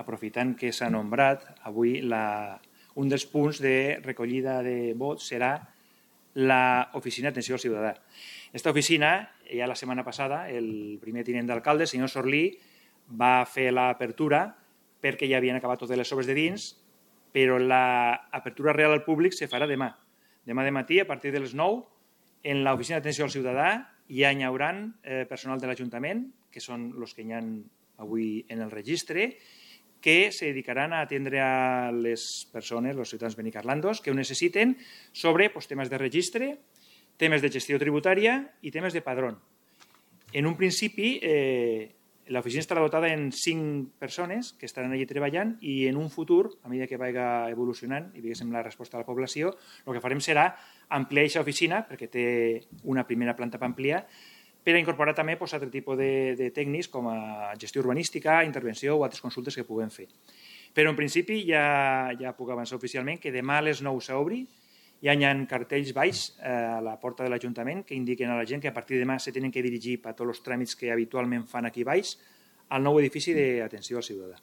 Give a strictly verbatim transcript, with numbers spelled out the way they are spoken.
aprofitant que s'ha nombrat, avui un dels punts de recollida de vots serà l'oficina d'atenció al ciutadà. Aquesta oficina, ja la setmana passada, el primer tinent d'alcalde, el senyor Sorlí, va fer l'apertura perquè ja havien acabat totes les obres de dins, però l'apertura real al públic se farà demà. Demà de matí, a partir de les nou, en l'oficina d'atenció al ciutadà ja hi haurà personal de l'Ajuntament, que són els que hi ha avui en el registre, que se dedicaran a atendre a les persones, els ciutadans benicarlandos, que ho necessiten sobre temes de registre, temes de gestió tributària i temes de padrón. En un principi, l'oficina estarà dotada en cinc persones que estaran allí treballant i en un futur, a mesura que vagi evolucionant i veiéssim la resposta de la població, el que farem serà ampliar aquesta oficina, perquè té una primera planta per ampliar, per a incorporar també altres tipus de tècnics com a gestió urbanística, intervenció o altres consultes que puguem fer. Però en principi ja puc avançar oficialment que demà a les nou s'obri, ja hi ha cartells baix a la porta de l'Ajuntament que indiquen a la gent que a partir de demà se tenen que dirigir per tots els tràmits que habitualment fan aquí baix al nou edifici d'atenció al ciutadà.